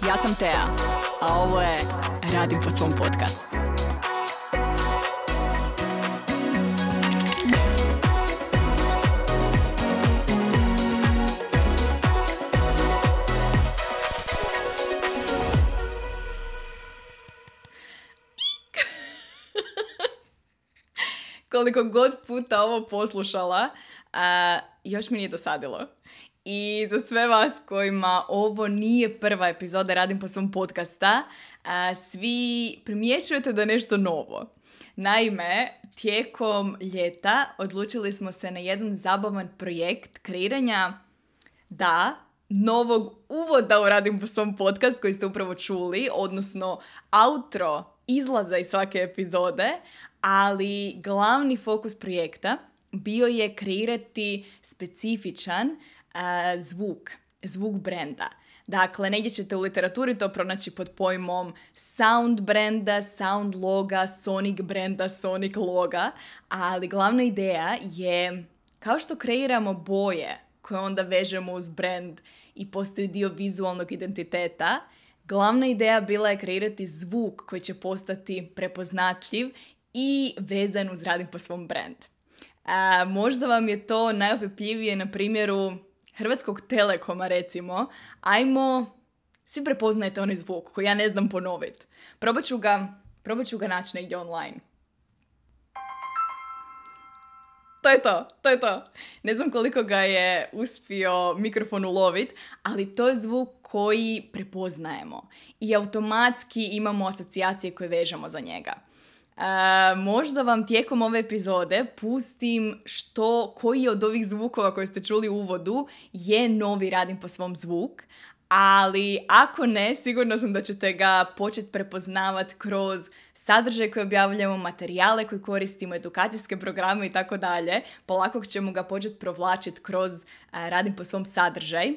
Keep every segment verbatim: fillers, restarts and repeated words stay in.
Ja sam Tea, a ovo je Radim po svom podcastu. Koliko god puta ovo poslušala, uh, još mi nije dosadilo. I za sve vas kojima ovo nije prva epizoda Radim po svom podcasta, uh, svi primjećujete da je nešto novo. Naime, tijekom ljeta odlučili smo se na jedan zabavan projekt kreiranja, da, novog uvoda u Radim po svom podcast koji ste upravo čuli, odnosno outro izlaza iz svake epizode, ali glavni fokus projekta bio je kreirati specifičan uh, zvuk, zvuk brenda. Dakle, negdje ćete u literaturi to pronaći pod pojmom sound brenda, sound loga, sonic brenda, sonic loga, ali glavna ideja je, kao što kreiramo boje koje onda vežemo uz brand i postoji dio vizualnog identiteta, glavna ideja bila je kreirati zvuk koji će postati prepoznatljiv i vezan uz Radim po svom brand. A, možda vam je to najopipljivije na primjeru Hrvatskog Telekoma, recimo. Ajmo, svi prepoznajete onaj zvuk koji ja ne znam ponoviti. Probat ću ga, probat ću ga naći negdje online. To je to, to je to. Ne znam koliko ga je uspio mikrofon ulovit, ali to je zvuk koji prepoznajemo. I automatski imamo asocijacije koje vežemo za njega. Uh, možda vam tijekom ove epizode pustim što, koji od ovih zvukova koje ste čuli u uvodu je novi Radim po svom zvuk, ali ako ne, sigurno sam da ćete ga početi prepoznavati kroz sadržaj koji objavljamo, materijale koje koristimo, edukacijske programe i tako dalje. Polako ćemo ga početi provlačiti kroz uh, Radim po svom sadržaj.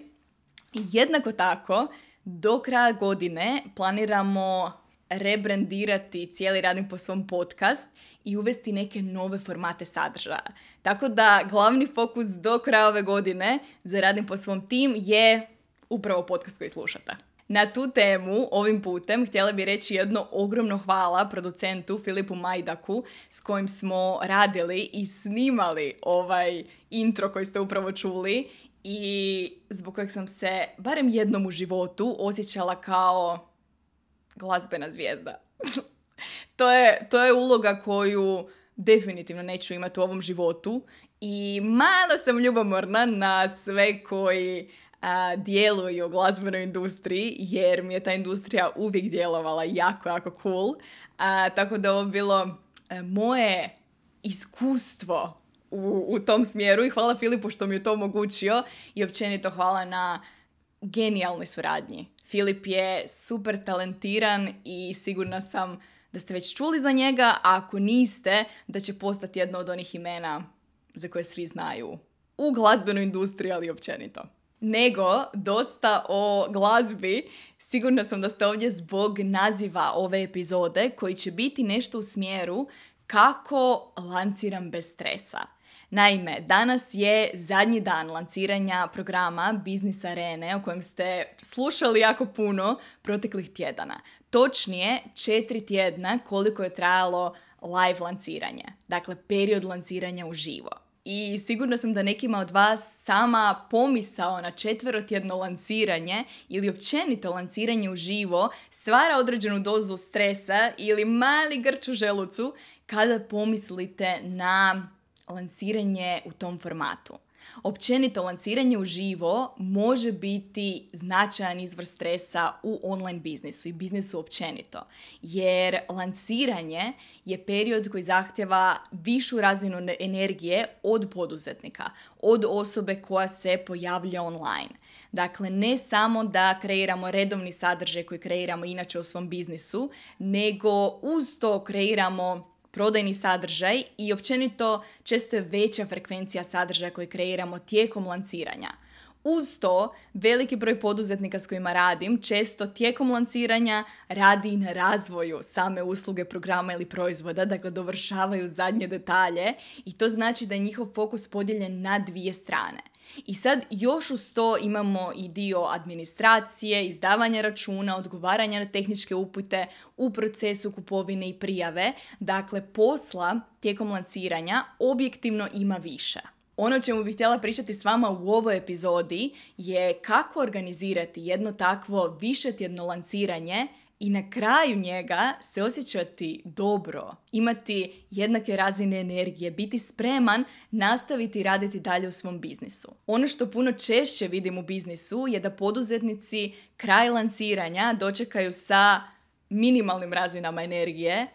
Jednako tako, do kraja godine planiramo rebrandirati cijeli Radim po svom podcast i uvesti neke nove formate sadržaja. Tako da glavni fokus do kraja ove godine za Radim po svom tim je upravo podcast koji slušate. Na tu temu ovim putem htjela bih reći jedno ogromno hvala producentu Filipu Majdaku s kojim smo radili i snimali ovaj intro koji ste upravo čuli i zbog kojeg sam se barem jednom u životu osjećala kao glazbena zvijezda. to, je, to je uloga koju definitivno neću imati u ovom životu i malo sam ljubomorna na sve koji a, djeluju u glazbenoj industriji, jer mi je ta industrija uvijek djelovala jako, jako cool. A, tako da ovo bilo a, moje iskustvo u, u tom smjeru i hvala Filipu što mi je to omogućio i općenito hvala na genijalnoj suradnji. Filip je super talentiran i sigurna sam da ste već čuli za njega, a ako niste, da će postati jedno od onih imena za koje svi znaju u glazbenoj industriji, ali općenito. Nego, dosta o glazbi, sigurna sam da ste ovdje zbog naziva ove epizode, koji će biti nešto u smjeru kako lanciram bez stresa. Naime, danas je zadnji dan lanciranja programa Biznis Arene o kojem ste slušali jako puno proteklih tjedana. Točnije, četiri tjedna koliko je trajalo live lanciranje. Dakle, period lanciranja uživo. I sigurna sam da nekima od vas sama pomisao na četverotjedno lanciranje ili općenito lanciranje uživo stvara određenu dozu stresa ili mali grč u želucu kada pomislite na lansiranje u tom formatu. Općenito, lansiranje uživo može biti značajan izvor stresa u online biznisu i biznisu općenito, jer lansiranje je period koji zahtjeva višu razinu energije od poduzetnika, od osobe koja se pojavlja online. Dakle, ne samo da kreiramo redovni sadržaj koji kreiramo inače u svom biznisu, nego uz to kreiramo prodajni sadržaj i općenito često je veća frekvencija sadržaja koji kreiramo tijekom lanciranja. Uz to, veliki broj poduzetnika s kojima radim često tijekom lanciranja radi i na razvoju same usluge, programa ili proizvoda, dakle dovršavaju zadnje detalje i to znači da je njihov fokus podijeljen na dvije strane. I sad još uz to imamo i dio administracije, izdavanja računa, odgovaranja na tehničke upute u procesu kupovine i prijave. Dakle, posla tijekom lanciranja objektivno ima više. Ono o čemu bih htjela pričati s vama u ovoj epizodi je kako organizirati jedno takvo višetjedno lanciranje i na kraju njega se osjećati dobro, imati jednake razine energije, biti spreman nastaviti raditi dalje u svom biznisu. Ono što puno češće vidim u biznisu je da poduzetnici kraj lanciranja dočekaju sa minimalnim razinama energije,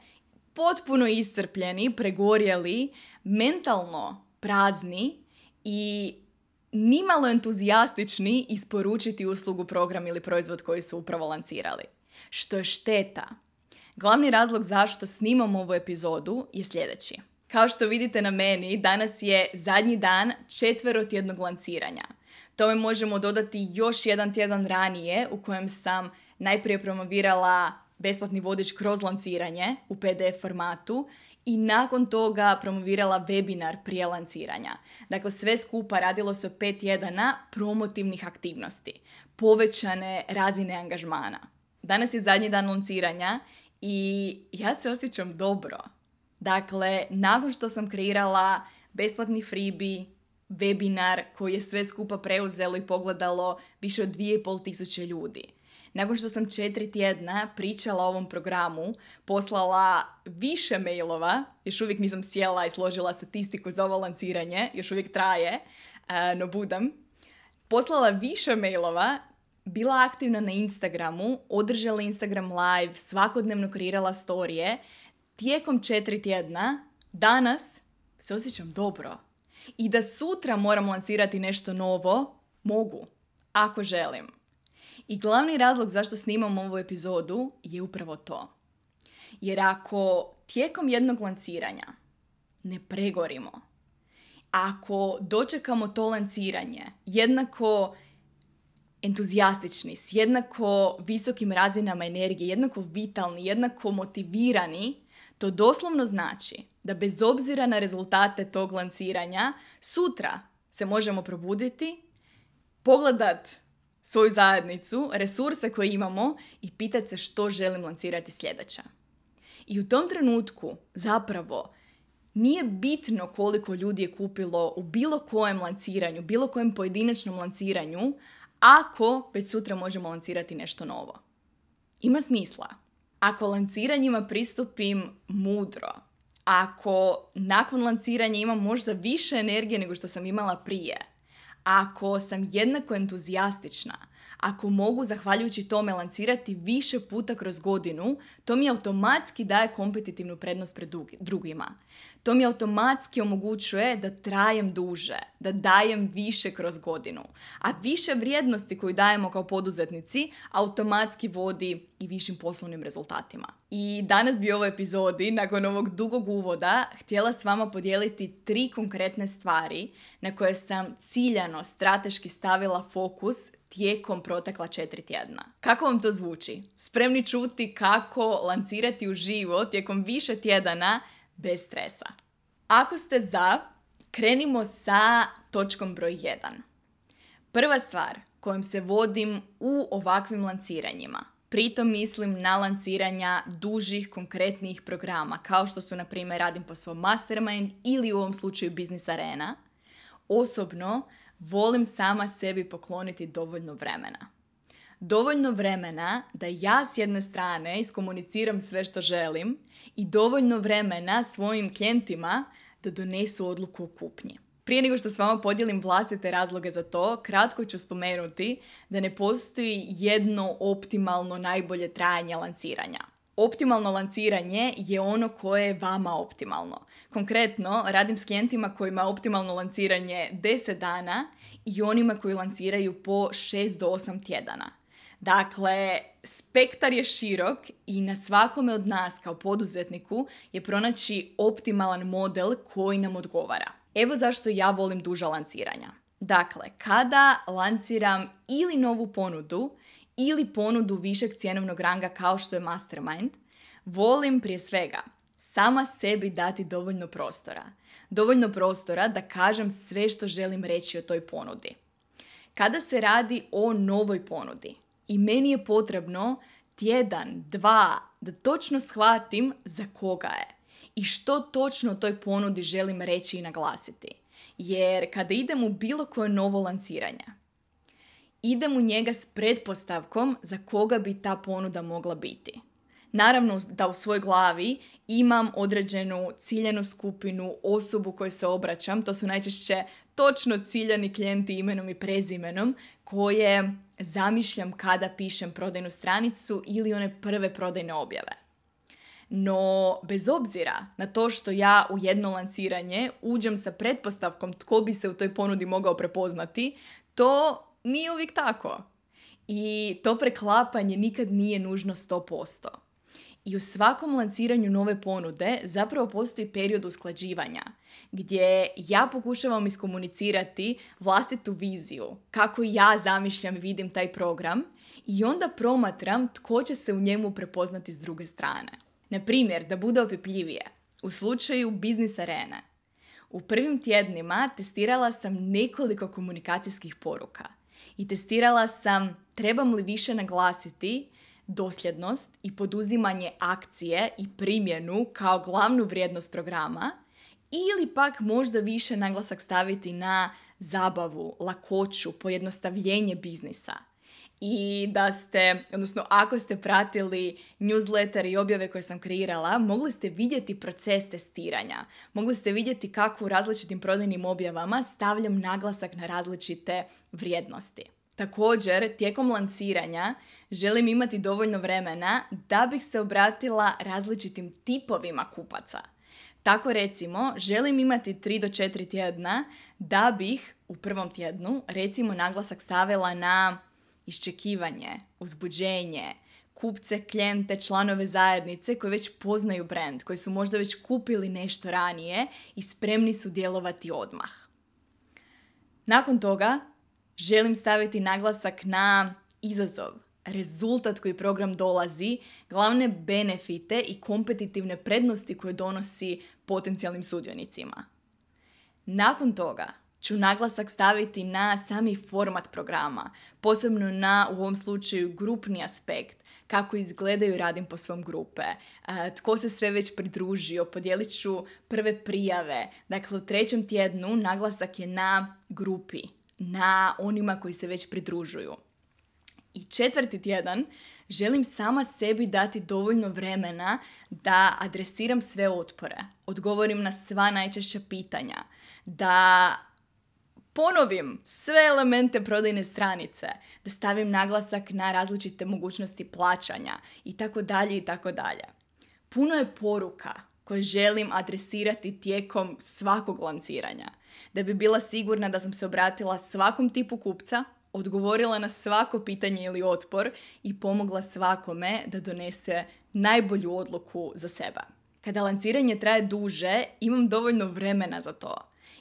potpuno iscrpljeni, pregorjeli, mentalno prazni i nimalo entuzijastični isporučiti uslugu, program ili proizvod koji su upravo lancirali. Što je šteta. Glavni razlog zašto snimam ovu epizodu je sljedeći. Kao što vidite na meni, danas je zadnji dan četverotjednog lanciranja. Tome možemo dodati još jedan tjedan ranije u kojem sam najprije promovirala besplatni vodič kroz lanciranje u P D F formatu i nakon toga promovirala webinar prije lanciranja. Dakle, sve skupa radilo se o pet tjedana promotivnih aktivnosti, povećane razine angažmana. Danas je zadnji dan lanciranja i ja se osjećam dobro. Dakle, nakon što sam kreirala besplatni freebie, webinar koji je sve skupa preuzelo i pogledalo više od dvije i pol tisuće ljudi. Nakon što sam četiri tjedna pričala o ovom programu, poslala više mailova, još uvijek nisam sjela i složila statistiku za ovo lanciranje, još uvijek traje, no budem. Poslala više mailova, bila aktivna na Instagramu, održala Instagram live, svakodnevno kreirala storije. Tijekom četiri tjedna, danas se osjećam dobro. I da sutra moram lansirati nešto novo, mogu, ako želim. I glavni razlog zašto snimam ovu epizodu je upravo to. Jer ako tijekom jednog lanciranja ne pregorimo, ako dočekamo to lanciranje jednako entuzijastični, s jednako visokim razinama energije, jednako vitalni, jednako motivirani, to doslovno znači da bez obzira na rezultate tog lanciranja, sutra se možemo probuditi, pogledat svoju zajednicu, resurse koje imamo i pitati se što želim lancirati sljedeća. I u tom trenutku zapravo nije bitno koliko ljudi je kupilo u bilo kojem lanciranju, bilo kojem pojedinačnom lanciranju, ako već sutra možemo lancirati nešto novo. Ima smisla. Ako lanciranjima pristupim mudro, ako nakon lanciranja imam možda više energije nego što sam imala prije, ako sam jednako entuzijastična, ako mogu zahvaljujući tome lancirati više puta kroz godinu, to mi automatski daje kompetitivnu prednost pred drugima. To mi automatski omogućuje da trajem duže, da dajem više kroz godinu. A više vrijednosti koju dajemo kao poduzetnici automatski vodi i višim poslovnim rezultatima. I danas bi u ovoj epizodi, nakon ovog dugog uvoda, htjela s vama podijeliti tri konkretne stvari na koje sam ciljano, strateški stavila fokus tijekom protekla četiri tjedna. Kako vam to zvuči? Spremni čuti kako lancirati uživo tijekom više tjedana bez stresa. Ako ste za, krenimo sa točkom broj jedan. Prva stvar kojom se vodim u ovakvim lanciranjima, pritom mislim na lanciranja dužih, konkretnih programa, kao što su, na primjer, Radim po svom Mastermind ili u ovom slučaju Business Arena, osobno volim sama sebi pokloniti dovoljno vremena. Dovoljno vremena da ja s jedne strane iskomuniciram sve što želim i dovoljno vremena svojim klijentima da donesu odluku o kupnji. Prije nego što s vama podijelim vlastite razloge za to, kratko ću spomenuti da ne postoji jedno optimalno najbolje trajanje lanciranja. Optimalno lanciranje je ono koje je vama optimalno. Konkretno, radim s klijentima kojima je optimalno lanciranje deset dana i onima koji lanciraju po šest do osam tjedana. Dakle, spektar je širok i na svakome od nas kao poduzetniku je pronaći optimalan model koji nam odgovara. Evo zašto ja volim duža lanciranja. Dakle, kada lanciram ili novu ponudu ili ponudu višeg cjenovnog ranga kao što je Mastermind, volim prije svega sama sebi dati dovoljno prostora, dovoljno prostora da kažem sve što želim reći o toj ponudi. Kada se radi o novoj ponudi i meni je potrebno tjedan, dva, da točno shvatim za koga je i što točno o toj ponudi želim reći i naglasiti. Jer kada idem u bilo koje novo lanciranje, idem u njega s pretpostavkom za koga bi ta ponuda mogla biti. Naravno da u svojoj glavi imam određenu ciljanu skupinu, osobu kojoj se obraćam. To su najčešće točno ciljani klijenti imenom i prezimenom koje zamišljam kada pišem prodajnu stranicu ili one prve prodajne objave. No, bez obzira na to što ja u jedno lanciranje uđem sa pretpostavkom tko bi se u toj ponudi mogao prepoznati, to nije uvijek tako. I to preklapanje nikad nije nužno sto posto. I u svakom lanciranju nove ponude zapravo postoji period usklađivanja gdje ja pokušavam iskomunicirati vlastitu viziju, kako ja zamišljam i vidim taj program i onda promatram tko će se u njemu prepoznati s druge strane. Na primjer, da bude opipljivije, u slučaju biznis arene. U prvim tjednima testirala sam nekoliko komunikacijskih poruka i testirala sam trebam li više naglasiti dosljednost i poduzimanje akcije i primjenu kao glavnu vrijednost programa ili pak možda više naglasak staviti na zabavu, lakoću, pojednostavljenje biznisa. I da ste, odnosno ako ste pratili newsletter i objave koje sam kreirala, mogli ste vidjeti proces testiranja. Mogli ste vidjeti kako u različitim prodajnim objavama stavljam naglasak na različite vrijednosti. Također, tijekom lanciranja želim imati dovoljno vremena da bih se obratila različitim tipovima kupaca. Tako recimo, želim imati tri do četiri tjedna da bih u prvom tjednu recimo naglasak stavila na iščekivanje, uzbuđenje, kupce, klijente, članove zajednice koji već poznaju brand, koji su možda već kupili nešto ranije i spremni su djelovati odmah. Nakon toga želim staviti naglasak na izazov, rezultat koji program dolazi, glavne benefite i kompetitivne prednosti koje donosi potencijalnim sudionicima. Nakon toga ću naglasak staviti na sami format programa, posebno na, u ovom slučaju, grupni aspekt, kako izgledaju radim po svom grupe, tko se sve već pridružio, podijelit ću prve prijave. Dakle, u trećem tjednu naglasak je na grupi, na onima koji se već pridružuju. I četvrti tjedan želim sama sebi dati dovoljno vremena da adresiram sve otpore, odgovorim na sva najčešća pitanja, da ponovim sve elemente prodajne stranice, da stavim naglasak na različite mogućnosti plaćanja i tako dalje i tako dalje. Puno je poruka koje želim adresirati tijekom svakog lanciranja, da bi bila sigurna da sam se obratila svakom tipu kupca, odgovorila na svako pitanje ili otpor i pomogla svakome da donese najbolju odluku za sebe. Kada lanciranje traje duže, imam dovoljno vremena za to.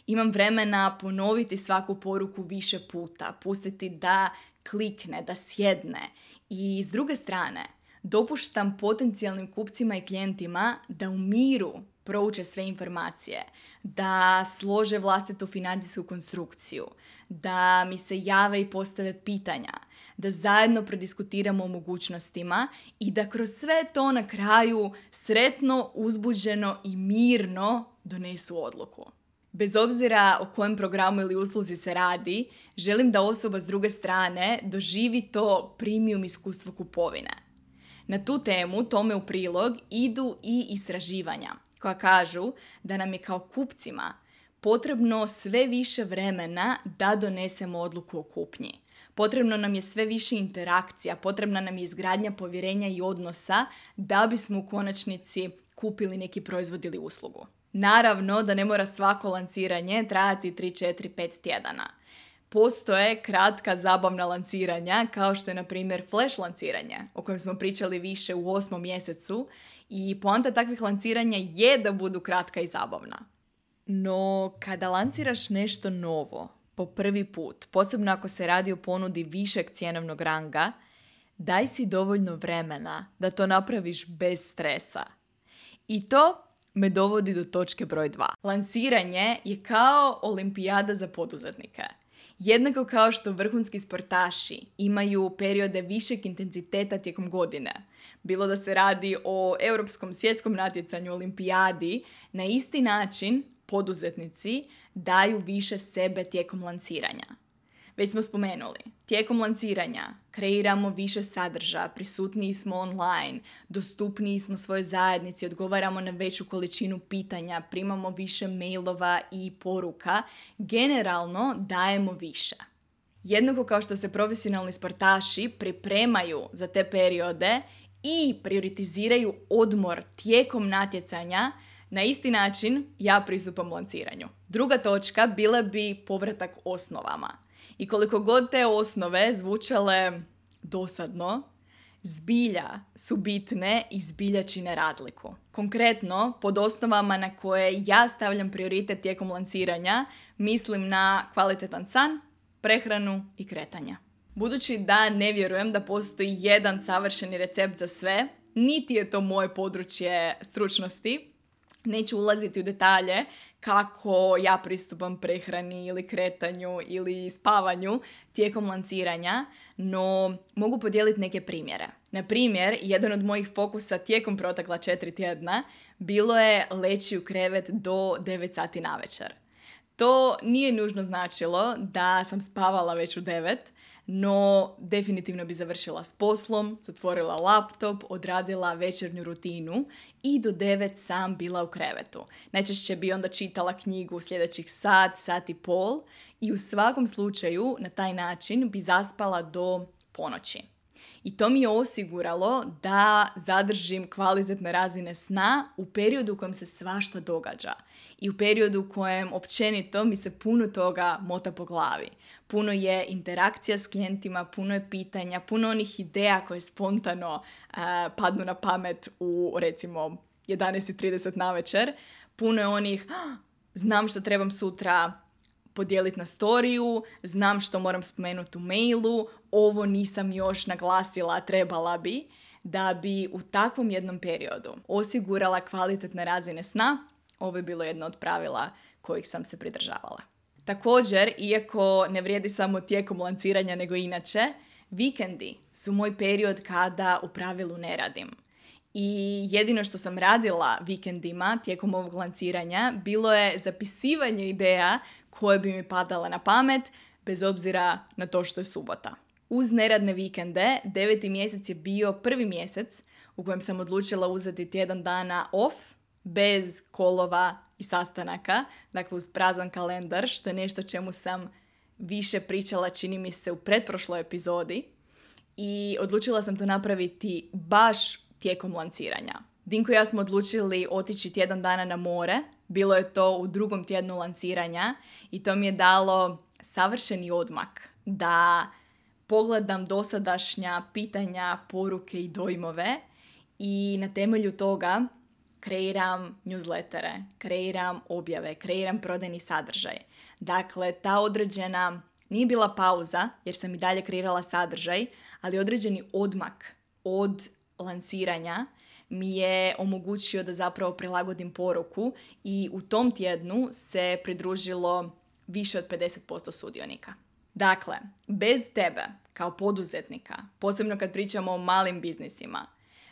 Imam vremena ponoviti svaku poruku više puta, pustiti da klikne, da sjedne. I s druge strane, dopuštam potencijalnim kupcima i klijentima da u miru prouče sve informacije, da slože vlastitu financijsku konstrukciju, da mi se jave i postave pitanja, da zajedno prodiskutiramo o mogućnostima i da kroz sve to na kraju sretno, uzbuđeno i mirno donesu odluku. Bez obzira o kojem programu ili usluzi se radi, želim da osoba s druge strane doživi to premium iskustvo kupovine. Na tu temu, tome u prilog, idu i istraživanja koja kažu da nam je kao kupcima potrebno sve više vremena da donesemo odluku o kupnji. Potrebno nam je sve više interakcija, potrebna nam je izgradnja povjerenja i odnosa da bismo u konačnici kupili neki proizvod ili uslugu. Naravno da ne mora svako lanciranje trajati tri, četiri, pet tjedana. Postoje kratka zabavna lanciranja, kao što je na primjer flash lanciranje, o kojem smo pričali više u osmom mjesecu, i poanta takvih lanciranja je da budu kratka i zabavna. No, kada lanciraš nešto novo po prvi put, posebno ako se radi o ponudi višeg cjenovnog ranga, daj si dovoljno vremena da to napraviš bez stresa. I to me dovodi do točke broj dva. Lansiranje je kao olimpijada za poduzetnike. Jednako kao što vrhunski sportaši imaju periode višeg intenziteta tijekom godine, bilo da se radi o europskom svjetskom natjecanju, olimpijadi, na isti način poduzetnici daju više sebe tijekom lansiranja. Već smo spomenuli, tijekom lansiranja kreiramo više sadržaja, prisutniji smo online, dostupniji smo svojoj zajednici, odgovaramo na veću količinu pitanja, primamo više mailova i poruka, generalno dajemo više. Jednako kao što se profesionalni sportaši pripremaju za te periode i prioritiziraju odmor tijekom natjecanja, na isti način ja pristupam lanciranju. Druga točka bila bi povratak osnovama. I koliko god te osnove zvučale dosadno, zbilja su bitne i zbilja čine razliku. Konkretno, pod osnovama na koje ja stavljam prioritet tijekom lansiranja, mislim na kvalitetan san, prehranu i kretanja. Budući da ne vjerujem da postoji jedan savršeni recept za sve, niti je to moje područje stručnosti, neću ulaziti u detalje kako ja pristupam prehrani ili kretanju ili spavanju tijekom lansiranja, no mogu podijeliti neke primjere. Na primjer, jedan od mojih fokusa tijekom protekla četiri tjedna bilo je leći u krevet do devet sati navečer. To nije nužno značilo da sam spavala već u devet, no definitivno bi završila s poslom, zatvorila laptop, odradila večernju rutinu i do devet sam bila u krevetu. Najčešće bi onda čitala knjigu sljedećih sat, sat i pol i u svakom slučaju na taj način bi zaspala do ponoći. I to mi je osiguralo da zadržim kvalitetne razine sna u periodu u kojem se svašta događa i u periodu u kojem općenito mi se puno toga mota po glavi. Puno je interakcija s klijentima, puno je pitanja, puno onih ideja koje spontano uh, padnu na pamet u recimo jedanaest i trideset navečer. Puno je onih, oh, znam što trebam sutra podijeliti na storiju, znam što moram spomenuti u mailu, ovo nisam još naglasila, trebala bi, da bi u takvom jednom periodu osigurala kvalitetne razine sna. Ovo je bilo jedno od pravila kojih sam se pridržavala. Također, iako ne vrijedi samo tijekom lanciranja nego inače, vikendi su moj period kada u pravilu ne radim. I jedino što sam radila vikendima tijekom ovog lanciranja bilo je zapisivanje ideja koje bi mi padale na pamet, bez obzira na to što je subota. Uz neradne vikende, deveti mjesec je bio prvi mjesec u kojem sam odlučila uzeti tjedan dana off, bez kolova i sastanaka, dakle uz prazan kalendar, što je nešto čemu sam više pričala, čini mi se, u pretprošloj epizodi. I odlučila sam to napraviti baš tijekom lanciranja. Dinko i ja smo odlučili otići tjedan dana na more. Bilo je to u drugom tjednu lanciranja i to mi je dalo savršeni odmak da pogledam dosadašnja pitanja, poruke i dojmove i na temelju toga kreiram newslettere, kreiram objave, kreiram prodajni sadržaj. Dakle, ta određena, nije bila pauza jer sam i dalje kreirala sadržaj, ali određeni odmak od lansiranja mi je omogućio da zapravo prilagodim poruku i u tom tjednu se pridružilo više od pedeset posto sudionika. Dakle, bez tebe kao poduzetnika, posebno kad pričamo o malim biznisima,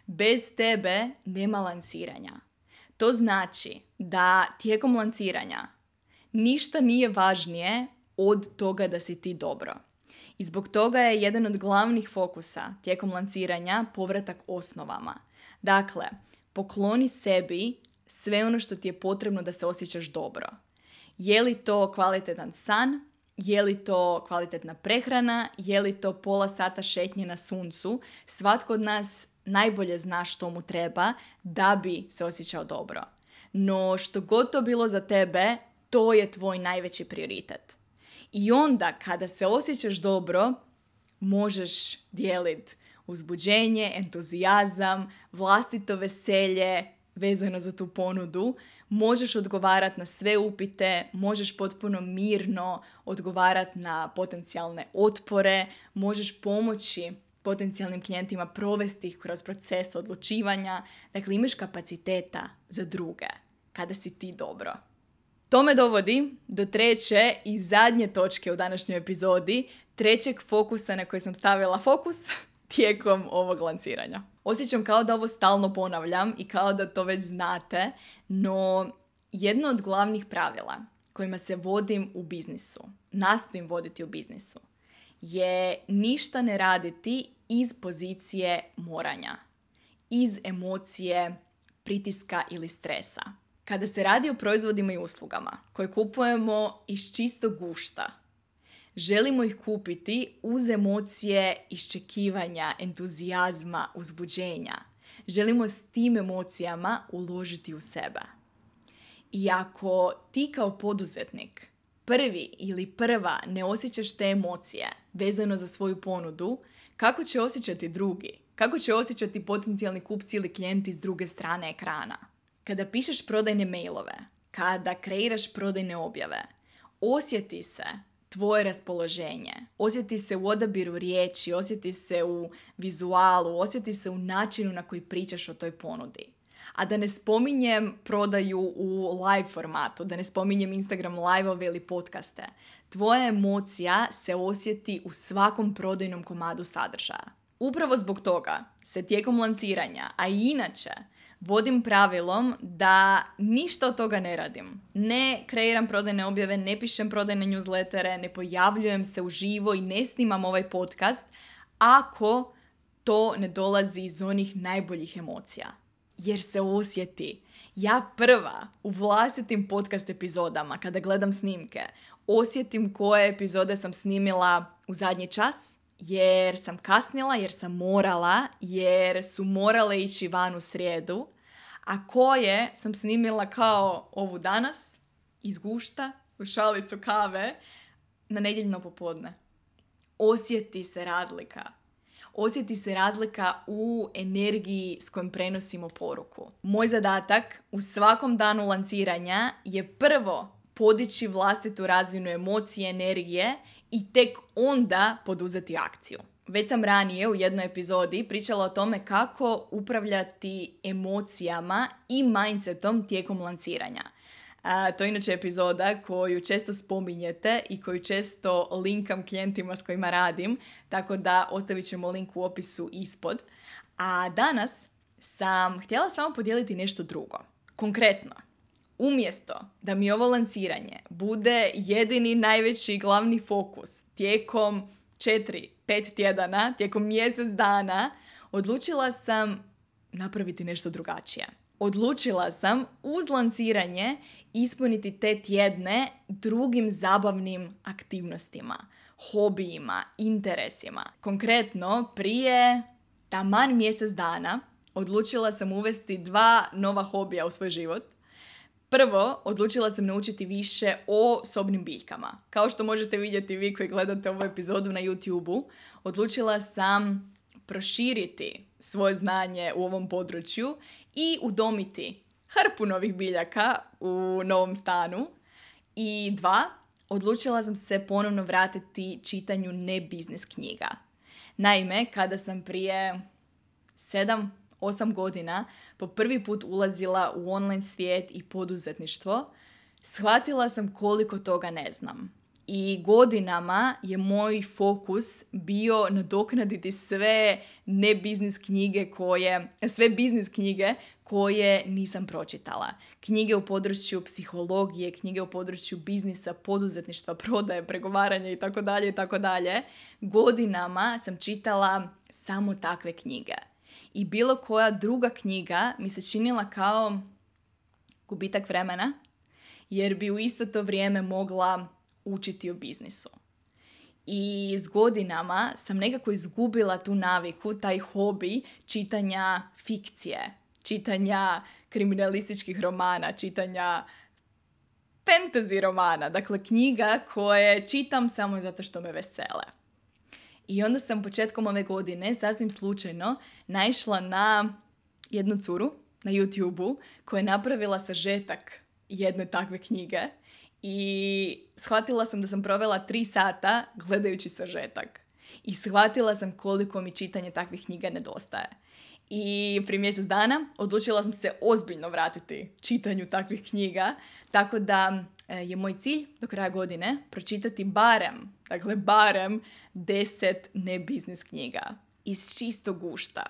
bez tebe nema lansiranja. To znači da tijekom lansiranja ništa nije važnije od toga da si ti dobro. I zbog toga je jedan od glavnih fokusa tijekom lansiranja povratak osnovama. Dakle, pokloni sebi sve ono što ti je potrebno da se osjećaš dobro. Je li to kvalitetan san? Je li to kvalitetna prehrana? Je li to pola sata šetnje na suncu? Svatko od nas najbolje zna što mu treba da bi se osjećao dobro. No što god to bilo za tebe, to je tvoj najveći prioritet. I onda kada se osjećaš dobro, možeš dijeliti uzbuđenje, entuzijazam, vlastito veselje vezano za tu ponudu, možeš odgovarati na sve upite, možeš potpuno mirno odgovarati na potencijalne otpore, možeš pomoći potencijalnim klijentima provesti ih kroz proces odlučivanja. Dakle, imaš kapaciteta za druge. kada si ti dobro. To me dovodi do treće i zadnje točke u današnjoj epizodi, trećeg fokusa na koji sam stavila fokus tijekom ovog lanciranja. Osjećam kao da ovo stalno ponavljam i kao da to već znate, no jedno od glavnih pravila kojima se vodim u biznisu, nastojim voditi u biznisu, je ništa ne raditi iz pozicije moranja, iz emocije pritiska ili stresa. Kada se radi o proizvodima i uslugama koje kupujemo iz čistog gušta, želimo ih kupiti uz emocije iščekivanja, entuzijazma, uzbuđenja. Želimo s tim emocijama uložiti u sebe. I ako ti kao poduzetnik prvi ili prva ne osjećaš te emocije vezano za svoju ponudu, kako će osjećati drugi? Kako će osjećati potencijalni kupci ili klijenti s druge strane ekrana? Kada pišeš prodajne mailove, kada kreiraš prodajne objave, osjeti se tvoje raspoloženje, osjeti se u odabiru riječi, osjeti se u vizualu, osjeti se u načinu na koji pričaš o toj ponudi. A da ne spominjem prodaju u live formatu, da ne spominjem Instagram live-ove ili podcaste. Tvoja emocija se osjeti u svakom prodajnom komadu sadržaja. Upravo zbog toga se tijekom lanciranja, a i inače, vodim pravilom da ništa od toga ne radim. Ne kreiram prodajne objave, ne pišem prodajne newslettere, ne pojavljujem se uživo i ne snimam ovaj podcast ako to ne dolazi iz onih najboljih emocija. Jer se osjeti. Ja prva u vlastitim podcast epizodama, kada gledam snimke, osjetim koje epizode sam snimila u zadnji čas, jer sam kasnila, jer sam morala, jer su morale ići van u srijedu, a koje sam snimila kao ovu danas, iz gušta, u šalicu kave, na nedjeljno popodne. Osjeti se razlika. Osjeti se razlika u energiji s kojom prenosimo poruku. Moj zadatak u svakom danu lanciranja je prvo podići vlastitu razinu emocije, energije i tek onda poduzeti akciju. Već sam ranije u jednoj epizodi pričala o tome kako upravljati emocijama i mindsetom tijekom lanciranja. A, to je inače epizoda koju često spominjete i koju često linkam klijentima s kojima radim, tako da ostavit ćemo link u opisu ispod. A danas sam htjela s vama podijeliti nešto drugo. Konkretno, umjesto da mi ovo lanciranje bude jedini najveći glavni fokus tijekom četiri, pet tjedana, tijekom mjesec dana, odlučila sam napraviti nešto drugačije. Odlučila sam uz lanciranje ispuniti te tjedne drugim zabavnim aktivnostima, hobijima, interesima. Konkretno, prije taman mjesec dana odlučila sam uvesti dva nova hobija u svoj život. Prvo, odlučila sam naučiti više o sobnim biljkama. Kao što možete vidjeti vi koji gledate ovu epizodu na YouTube-u, odlučila sam proširiti svoje znanje u ovom području i udomiti hrpu novih biljaka u novom stanu. I dva, odlučila sam se ponovno vratiti čitanju ne biznis knjiga. Naime, kada sam prije sedam, osam godina po prvi put ulazila u online svijet i poduzetništvo, shvatila sam koliko toga ne znam. I godinama je moj fokus bio nadoknaditi sve ne biznis knjige koje, sve biznis knjige koje nisam pročitala. Knjige u području psihologije, knjige u području biznisa, poduzetništva, prodaje, pregovaranja itd. itd. Godinama sam čitala samo takve knjige. I bilo koja druga knjiga mi se činila kao gubitak vremena, jer bi u isto to vrijeme mogla učiti o biznisu. I s godinama sam nekako izgubila tu naviku, taj hobi čitanja fikcije, čitanja kriminalističkih romana, čitanja fantasy romana, dakle knjiga koje čitam samo zato što me vesele. I onda sam početkom ove godine sasvim slučajno naišla na jednu curu na YouTube-u koja je napravila sažetak jedne takve knjige i shvatila sam da sam provela tri sata gledajući sažetak. I shvatila sam koliko mi čitanje takvih knjiga nedostaje. I prije mjesec dana odlučila sam se ozbiljno vratiti čitanju takvih knjiga, tako da je moj cilj do kraja godine pročitati barem, dakle barem deset ne-biznis knjiga iz čistog gušta.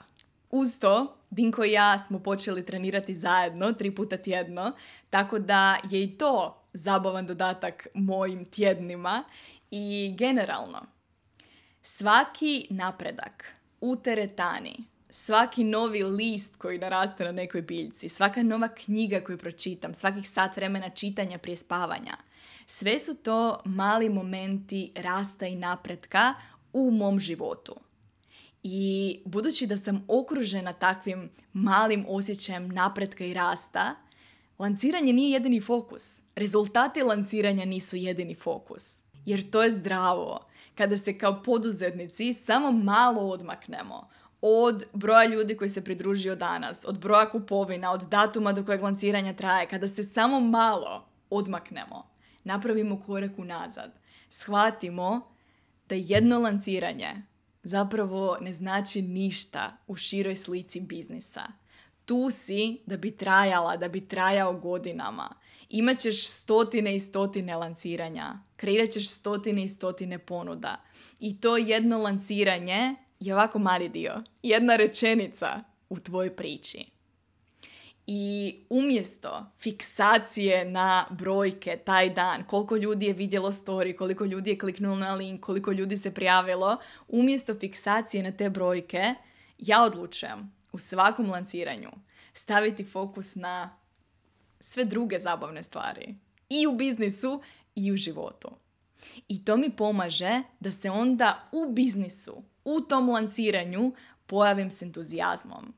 Uz to, Dinko i ja smo počeli trenirati zajedno, tri puta tjedno, tako da je i to zabavan dodatak mojim tjednima i generalno. Svaki napredak u teretani, svaki novi list koji naraste na nekoj biljci, svaka nova knjiga koju pročitam, svakih sat vremena čitanja prije spavanja, sve su to mali momenti rasta i napretka u mom životu. I budući da sam okružena takvim malim osjećajem napretka i rasta, lanciranje nije jedini fokus. Rezultati lanciranja nisu jedini fokus. Jer to je zdravo kada se kao poduzetnici samo malo odmaknemo od broja ljudi koji se pridružio danas, od broja kupovina, od datuma do kojeg lanciranja traje, kada se samo malo odmaknemo, napravimo korak unazad, shvatimo da jedno lanciranje zapravo ne znači ništa u široj slici biznisa. Tu si da bi trajala, da bi trajao godinama. Imaćeš stotine i stotine lanciranja, kreirat ćeš stotine i stotine ponuda. I to jedno lanciranje je ovako mali dio, jedna rečenica u tvojoj priči. I umjesto fiksacije na brojke taj dan, koliko ljudi je vidjelo story, koliko ljudi je kliknulo na link, koliko ljudi se prijavilo, umjesto fiksacije na te brojke, ja odlučujem u svakom lanciranju staviti fokus na sve druge zabavne stvari. I u biznisu i u životu. I to mi pomaže da se onda u biznisu, u tom lanciranju pojavim s entuzijazmom.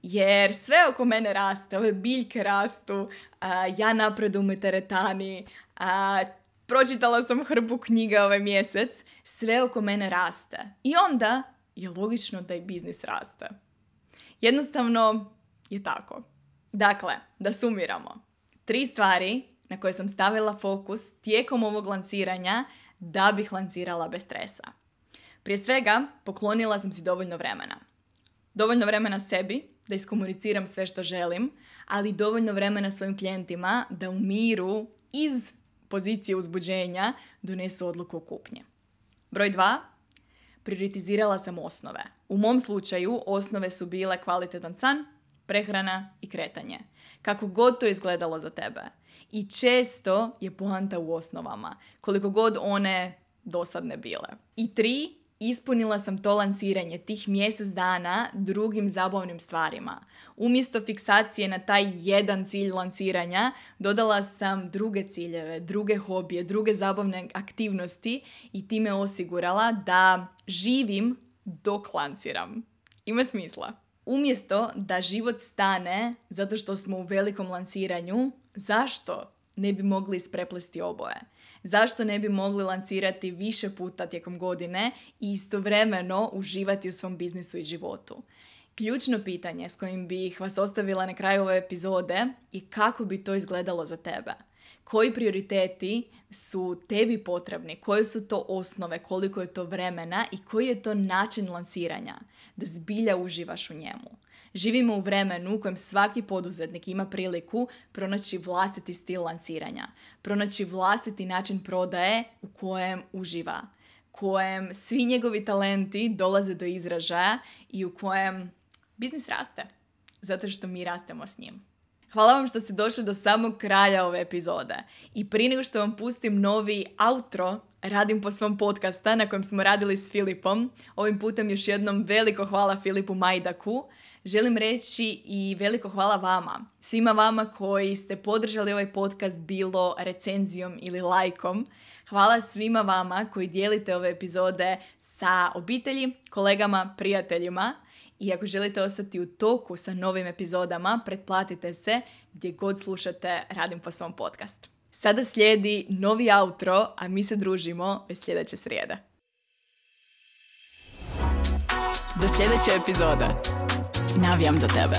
Jer sve oko mene raste, ove biljke rastu, a, ja napredujem u teretani, a, pročitala sam hrpu knjiga ovaj mjesec, sve oko mene raste. I onda je logično da i biznis raste. Jednostavno je tako. Dakle, da sumiramo. Tri stvari na koje sam stavila fokus tijekom ovog lanciranja da bih lancirala bez stresa. Prije svega, poklonila sam si dovoljno vremena. Dovoljno vremena sebi, da iskomuniciram sve što želim, ali dovoljno vremena svojim klijentima da u miru iz pozicije uzbuđenja donesu odluku o kupnji. Broj dva, prioritizirala sam osnove. U mom slučaju osnove su bile kvalitetan san, prehrana i kretanje. Kako god to izgledalo za tebe. I često je poanta u osnovama, koliko god one dosadne bile. I tri, ispunila sam to lanciranje tih mjesec dana drugim zabavnim stvarima. Umjesto fiksacije na taj jedan cilj lanciranja, dodala sam druge ciljeve, druge hobije, druge zabavne aktivnosti i time osigurala da živim dok lanciram. Ima smisla. Umjesto da život stane zato što smo u velikom lanciranju, zašto ne bi mogli ispreplesti oboje? Zašto ne bi mogli lancirati više puta tijekom godine i istovremeno uživati u svom biznisu i životu? Ključno pitanje s kojim bih vas ostavila na kraju ove epizode je kako bi to izgledalo za tebe. Koji prioriteti su tebi potrebni, koje su to osnove, koliko je to vremena i koji je to način lanciranja, da zbilja uživaš u njemu. Živimo u vremenu u kojem svaki poduzetnik ima priliku pronaći vlastiti stil lanciranja, pronaći vlastiti način prodaje u kojem uživa, kojem svi njegovi talenti dolaze do izražaja i u kojem biznis raste, zato što mi rastemo s njim. Hvala vam što ste došli do samog kraja ove epizode. I prije nego što vam pustim novi outro, radim po svom podcasta na kojem smo radili s Filipom. Ovim putem još jednom veliko hvala Filipu Majdaku. Želim reći i veliko hvala vama. Svima vama koji ste podržali ovaj podcast bilo recenzijom ili lajkom. Hvala svima vama koji dijelite ove epizode sa obitelji, kolegama, prijateljima. I ako želite ostati u toku sa novim epizodama, pretplatite se gdje god slušate Radim po svom podcast. Sada slijedi novi outro, a mi se družimo već sljedeće srijede. Do sljedeće epizode. Navijam za tebe.